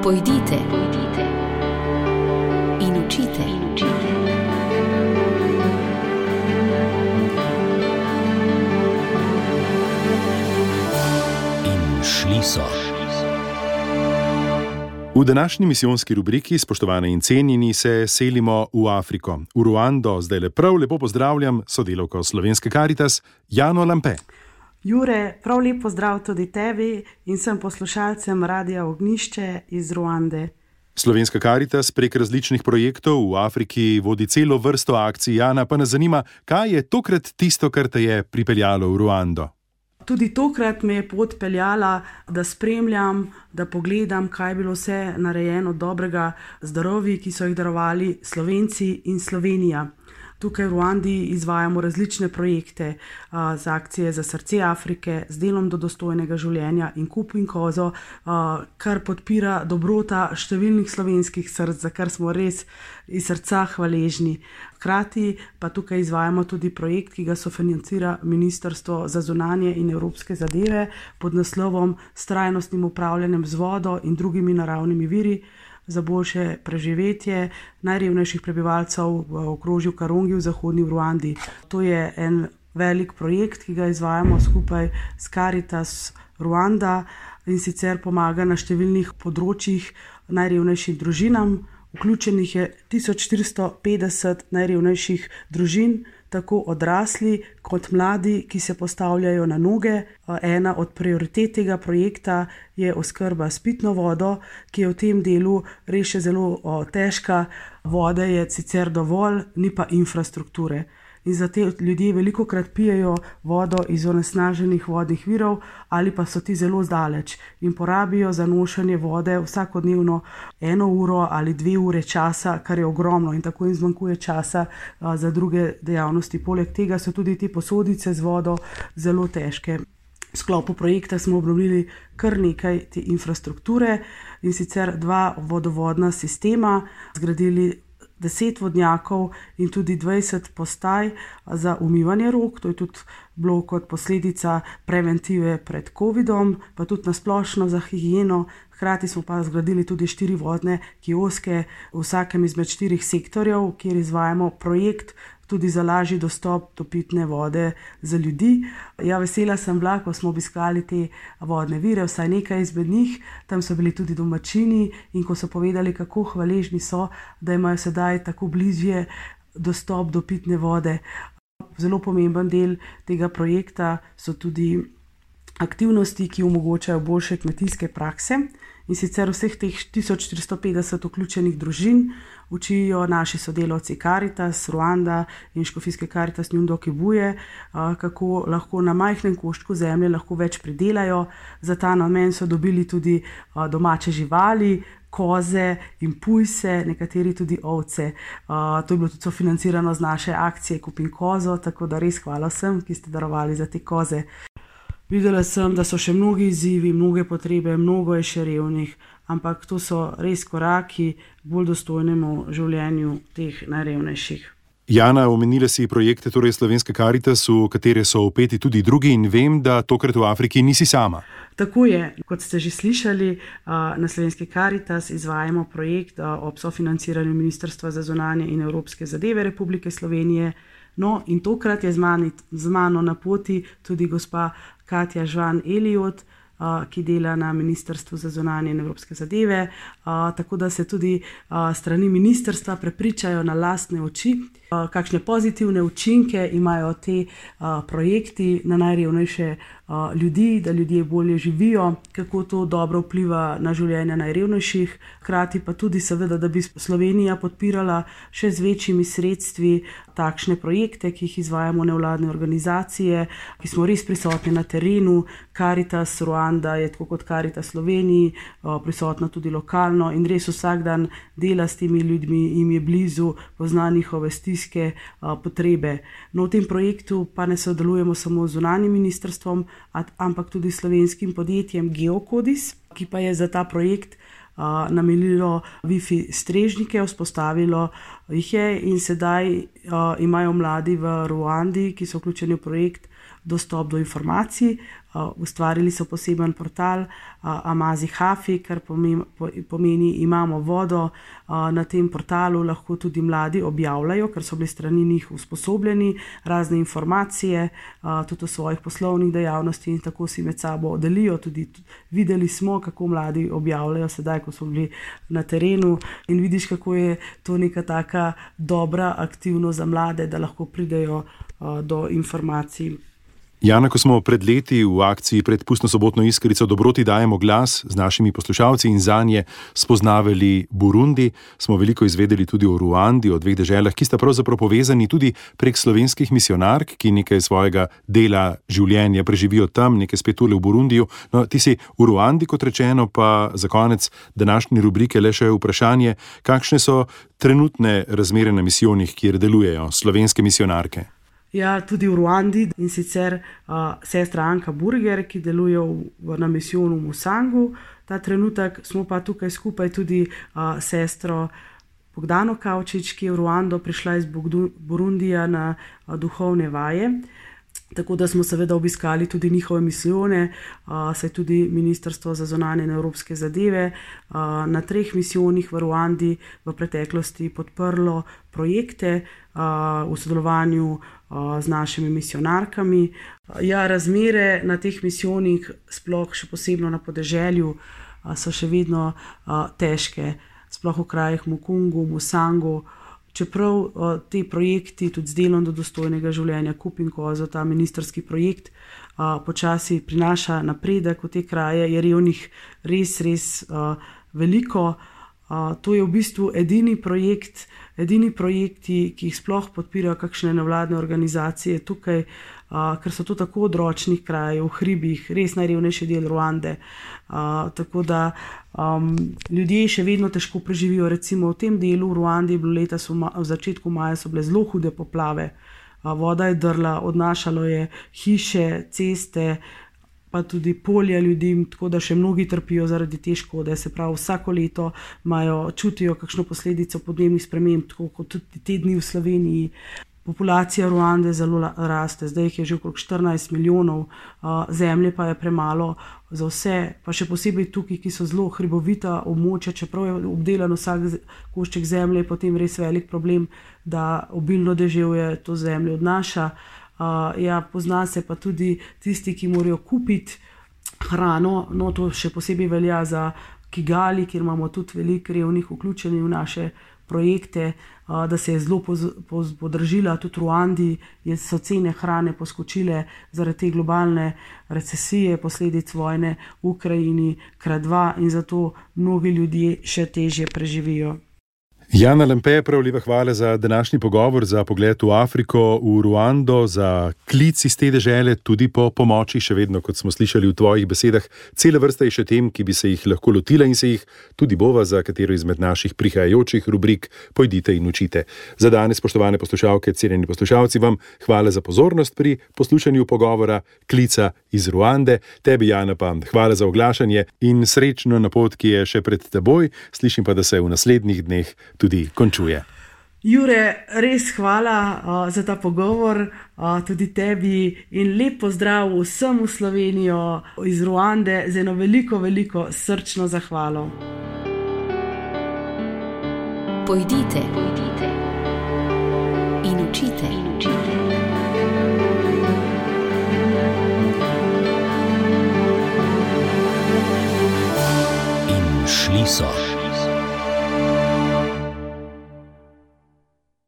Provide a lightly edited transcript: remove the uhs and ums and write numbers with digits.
Pojdite in učite. In šli so. V današnji misijonski rubriki, spoštovane in cenjeni, se selimo v Afriko. V Ruando zdaj lepo pozdravljam sodelavko Slovenske Karitas, Jano Lampe. Jure, prav lep pozdrav tudi tebi in vsem poslušalcem Radia Ognjišče iz Ruande. Slovenska Karitas prek različnih projektov v Afriki vodi celo vrsto akcij. Jana, pa nas zanima, kaj je tokrat tisto, kar te je pripeljalo v Ruando? Tudi tokrat me je pot peljala, da spremljam, da pogledam, kaj je bilo vse narejeno dobrega zdravi, ki so jih darovali Slovenci in Slovenija. Tukaj v Ruandi izvajamo različne projekte z akcije za srce Afrike, z delom do dostojnega življenja in Kup in kozo, kar podpira dobrota številnih slovenskih src, za kar smo res iz srca hvaležni. Hkrati pa tukaj izvajamo tudi projekt, ki ga sofinancira Ministrstvo za zunanje in evropske zadeve pod naslovom S trajnostnim upravljanjem z vodo in drugimi naravnimi viri za boljše preživetje najrevnejših prebivalcev v okrožju Karongi v zahodni Ruandi. To je en velik projekt, ki ga izvajamo skupaj s Karitas Ruanda in sicer pomaga na številnih področjih najrevnejšim družinam. Vključenih je 1450 najrevnejših družin, tako odrasli kot mladi, ki se postavljajo na noge. Ena od prioritet tega projekta je oskrba s pitno vodo, ki je v tem delu res še zelo težka. Vode je sicer dovolj, ni pa infrastrukture. In za te ljudje velikokrat pijejo vodo iz onesnaženih vodnih virov ali pa so ti zelo zdaleč in porabijo za nošenje vode vsakodnevno 1 uro ali 2 ure časa, kar je ogromno in tako jim zmanjkuje časa za druge dejavnosti. Poleg tega so tudi te posodice z vodo zelo težke. V sklopu projekta smo obnovili kar nekaj te infrastrukture in sicer 2 vodovodna sistema, zgradili 10 vodnjakov in tudi 20 postaj za umivanje rok. To je tudi bilo kot posledica preventive pred covidom, pa tudi nasplošno za higieno. Hkrati smo pa zgradili tudi 4 vodne kioske v vsakem izmed 4 sektorjev, kjer izvajamo projekt tudi za lažji dostop do pitne vode za ljudi. Ja, vesela sem bila, ko smo obiskali te vodne vire, vsaj nekaj izmed njih. Tam so bili tudi domačini in ko so povedali, kako hvaležni so, da imajo sedaj tako bližje dostop do pitne vode. Zelo pomemben del tega projekta so tudi aktivnosti, ki omogočajo boljše kmetijske prakse. In sicer vseh teh 1450 vključenih družin učijo naši sodelavci Karitas, Ruanda in škofijske Karitas Nyundo Kibuje, kako lahko na majhnem koščku zemlje lahko več pridelajo. Za ta namen so dobili tudi domače živali, koze in pujse, nekateri tudi ovce. To je bilo tudi sofinancirano z naše akcije Kup in kozo, tako da res hvala vsem, ki ste darovali za te koze. Videla sem, da so še mnogi izzivi, mnoge potrebe, mnogo je še revnih, ampak to so res koraki k bolj dostojnemu življenju teh najrevnejših. Jana, omenila si projekte torej Slovenske Karitas, v katere so vpeti tudi drugi in vem, da tokrat v Afriki nisi sama. Tako je, kot ste že slišali, na Slovenski Karitas izvajamo projekt ob sofinanciranju Ministrstva za zunanje in evropske zadeve Republike Slovenije. No, in tokrat je z mano na poti tudi gospa Katja Žvan-Eliot, ki dela na Ministrstvu za zunanje in evropske zadeve, tako da se tudi strani ministrstva prepričajo na lastne oči, kakšne pozitivne učinke imajo te projekti na najrevnejše ljudi, da ljudje bolje živijo, kako to dobro vpliva na življenje najrevnejših, hkrati pa tudi seveda, da bi Slovenija podpirala še z večjimi sredstvi takšne projekte, ki jih izvajamo nevladne organizacije, ki smo res prisotni na terenu. Karitas Ruanda je tako kot Karitas Sloveniji prisotna tudi lokalno in res vsak dan dela s temi ljudmi, jim je blizu, pozna njihove stiske, potrebe. No, v tem projektu pa ne sodelujemo samo z zunanjim ministrstvom, ampak tudi slovenskim podjetjem Geokodis, ki pa je za ta projekt namenilo Wi-Fi strežnike, vzpostavilo jih je in sedaj imajo mladi v Ruandi, ki so vključeni v projekt, dostop do informacij. Ustvarili so poseben portal Amazi Hafi, kar pomeni imamo vodo. Na tem portalu lahko tudi mladi objavljajo, ker so bili strani njih usposobljeni, razne informacije, tudi o svojih poslovnih dejavnosti in tako si med sabo delijo. Tudi videli smo, kako mladi objavljajo sedaj, ko smo bili na terenu, in vidiš, kako je to neka taka dobra aktivnost za mlade, da lahko pridejo do informacij. Jana, ko smo pred leti v akciji Pred pustno sobotno iskrico Dobroti dajemo glas z našimi poslušalci in zanje spoznavali Burundi, smo veliko izvedeli tudi o Ruandi, o dveh deželah, ki sta pravzaprav povezani tudi prek slovenskih misionark, ki nekaj svojega dela življenja preživijo tam, nekaj spet tule v Burundiju. No, ti si v Ruandi, kot rečeno, pa za konec današnje rubrike le še vprašanje, kakšne so trenutne razmere na misijonih, kjer delujejo slovenske misionarke? Ja, tudi v Ruandi, in sicer sestra Anka Burger, ki deluje na misijonu v Musangu. Ta trenutek smo pa tukaj skupaj tudi sestro Bogdano Kavčič, ki je v Ruando prišla iz Burundija na duhovne vaje. Tako da smo seveda obiskali tudi njihove misijone, saj tudi Ministrstvo za zunanje in evropske zadeve na 3 misijonih v Ruandi v preteklosti podprlo projekte v sodelovanju z našimi misionarkami. Ja, razmere na teh misijonih, sploh še posebno na podeželju, so še vedno težke, sploh v krajih Mukungu, Musangu. Čeprav te projekti, tudi z delom do dostojnega življenja, Kup in Kozo, ta ministrski projekt, počasi prinaša napredek v te kraje, je revnih res veliko. To je v bistvu edini projekti, ki jih sploh podpirajo kakšne nevladne organizacije tukaj, ker so to tako odročnih krajev, v hribih, res najrevnejši del Ruande. Tako da ljudje še vedno težko preživijo. Recimo v tem delu v Ruandi je bilo letos v začetku maja so bile zelo hude poplave. Voda je drla, odnašalo je hiše, ceste, pa tudi polja ljudem, tako da še mnogi trpijo zaradi te škode. Se pravi, vsako leto čutijo kakšno posledico podnebnih sprememb, tako kot tudi te dni v Sloveniji. Populacija Ruande zelo raste, zdaj jih je že okrog 14 milijonov, zemlje pa je premalo za vse, pa še posebej tukaj, ki so zelo hribovita območja, čeprav je obdelan vsak košček zemlje, je potem res velik problem, da obilno deževje to zemljo odnaša. Pozna se pa tudi tisti, ki morajo kupiti hrano, no to še posebej velja za Kigali, kjer imamo tudi veliko revnih vključenih v naše projekte, da se je zelo podražila, tudi v Ruandi so cene hrane poskočile zaradi te globalne recesije, posledic vojne v Ukrajini ×2 in zato mnogi ljudje še težje preživijo. Jana Lampe, prav lepa hvala za današnji pogovor, za pogled v Afriko, v Ruando, za klic iz te dežele, tudi po pomoči, še vedno, kot smo slišali v tvojih besedah, cela vrsta je še tem, ki bi se jih lahko lotila in se jih tudi bova za katero izmed naših prihajajočih rubrik Pojdite in učite. Za danes, spoštovane poslušalke, cenjeni poslušalci, vam hvala za pozornost pri poslušanju pogovora Klica iz Ruande. Tebi, Jana, pa hvala za oglašanje in srečno na pot, ki je še pred teboj. Slišim pa, da se v naslednjih dneh tudi končuje. Jure, res hvala za ta pogovor, tudi tebi, in lep pozdrav vsem v Slovenijo iz Ruande z eno veliko srčno zahvalo. Pojdite in učite. In šli so.